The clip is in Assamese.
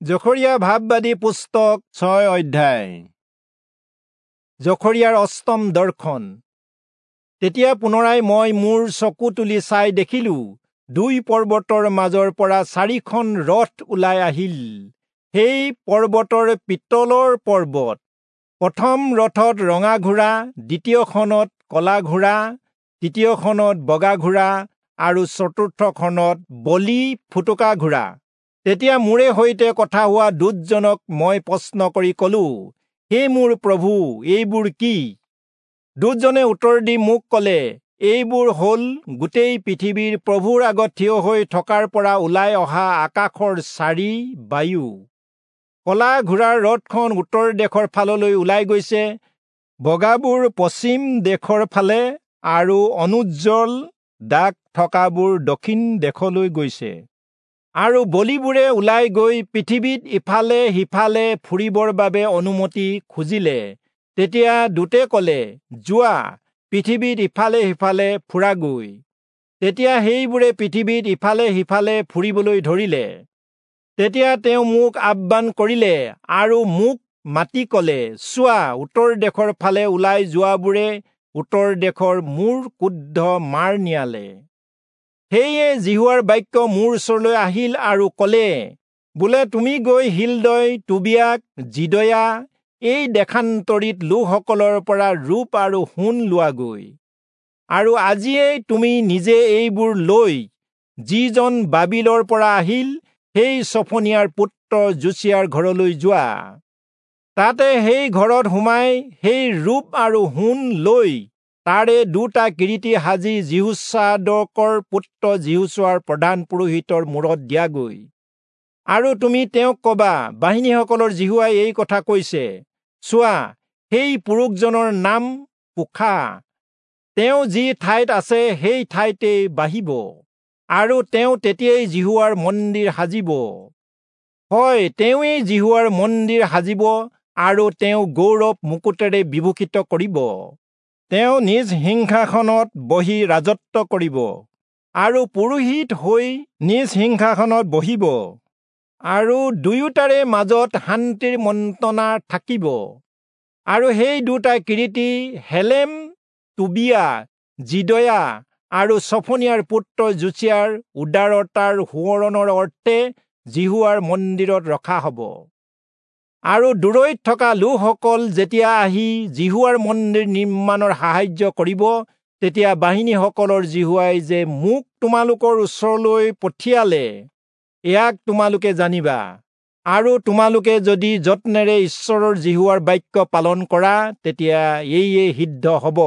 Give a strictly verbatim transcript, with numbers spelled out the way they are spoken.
জখৰিয়া ভাববাদী পুস্তক ছয় অধ্যায়। জখৰিয়াৰ অষ্টম দৰ্শন। তেতিয়া পুনৰাই মই মোৰ চকু তুলি চাই দেখিলো, দুই পৰ্বতৰ মাজৰ পৰা চাৰিখন ৰথ ওলাই আহিল। সেই পৰ্বতৰ পিতলৰ পৰ্বত। প্ৰথম ৰথত ৰঙা ঘোঁৰা, দ্বিতীয়খনত কলা ঘোঁৰা, তৃতীয়খনত বগা ঘোঁৰা আৰু চতুৰ্থখনত বলি ফুটুকা ঘোঁৰা। তেতিয়া মোৰে সৈতে কথা হোৱা দূতজনক মই প্ৰশ্ন কৰি কলো, হে মোৰ প্ৰভু, এইবোৰ কি? দূতজনে উত্তৰ দি মোক কলে, এইবোৰ হল গোটেই পৃথিৱীৰ প্ৰভুৰ আগত থিয় হৈ থকাৰ পৰা ওলাই অহা আকাশৰ চাৰি বায়ু। কলা ঘোঁৰাৰ ৰথখন উত্তৰ দেশৰ ফাললৈ ওলাই গৈছে, বগাবোৰ পশ্চিম দেশৰ ফালে আৰু অনুজ্জ্বল দাগ থকাবোৰ দক্ষিণ দেশলৈ গৈছে। আৰু বলিবোৰে ওলাই গৈ পৃথিৱীত ইফালে সিফালে ফুৰিবৰ বাবে অনুমতি খুজিলে। তেতিয়া দূতে কলে, যোৱা, পৃথিৱীত ইফালে সিফালে ফুৰাগৈ। তেতিয়া সেইবোৰে পৃথিৱীত ইফালে সিফালে ফুৰিবলৈ ধৰিলে। তেতিয়া তেওঁ মোক আহ্বান কৰিলে আৰু মোক মাতি কলে, চোৱা, উত্তৰ দেশৰ ফালে ওলাই যোৱাবোৰে উত্তৰ দেশৰ মোৰ ক্ৰুদ্ধ মাৰ নিয়ালে। সেয়ে যিহোৱাৰ বাক্য মোৰ ওচৰলৈ আহিল আৰু কলে, বোলে তুমি গৈ হিলদয়, টোবিয়াক, যিদয়া এই দেশান্তৰিত লোকসকলৰ পৰা ৰূপ আৰু সোণ লোৱাগৈ। আৰু আজিয়েই তুমি নিজে এইবোৰ লৈ যিজন বাবিলৰ পৰা আহিল সেই চফনিয়াৰ পুত্ৰ যোচিয়াৰ ঘৰলৈ যোৱা। তাতে সেই ঘৰত সোমাই সেই ৰূপ আৰু সোণ লৈ তাৰে দুটা কিৰীটি সাজি যিহোচাদকৰ পুত্ৰ যিহোচূৱাৰ প্ৰধান পুৰোহিতৰ মূৰত দিয়াগৈ। আৰু তুমি তেওঁক কবা, বাহিনীসকলৰ যিহোৱাই এই কথা কৈছে, চোৱা, সেই পুৰুষজনৰ নাম পোখা, তেওঁ যি ঠাইত আছে সেই ঠাইতেই বাঢ়িব, আৰু তেওঁ তেতিয়াই যিহোৱাৰ মন্দিৰ সাজিব। হয়, তেওঁৱেই যিহোৱাৰ মন্দিৰ সাজিব আৰু তেওঁ গৌৰৱ মুকুটেৰে বিভূষিত কৰিব। তেওঁ নিজ সিংহাসনত বহি ৰাজত্ব কৰিব আৰু পুৰোহিত হৈ নিজ সিংহাসনত বহিব, আৰু দুয়োটাৰে মাজত শান্তিৰ মন্ত্ৰণা থাকিব। আৰু সেই দুটা কিৰীটি হেলেম, টোবিয়া, যিদয়া আৰু চফনিয়াৰ পুত্ৰ যোচিয়াৰ উদাৰতাৰ সোঁৱৰণৰ অৰ্থে যিহোৱাৰ মন্দিৰত ৰখা হ'ব। আৰু দূৰৈত থকা লোকসকল যেতিয়া আহি যিহোৱাৰ মন্দিৰ নিৰ্মাণৰ সাহায্য কৰিব, তেতিয়া বাহিনীসকলৰ যিহোৱাই যে মোক তোমালোকৰ ওচৰলৈ পঠিয়ালে, ইয়াক তোমালোকে জানিবা। আৰু তোমালোকে যদি যত্নেৰে ঈশ্বৰৰ যিহোৱাৰ বাক্য পালন কৰা, তেতিয়া এইয়ে সিদ্ধ হ'ব।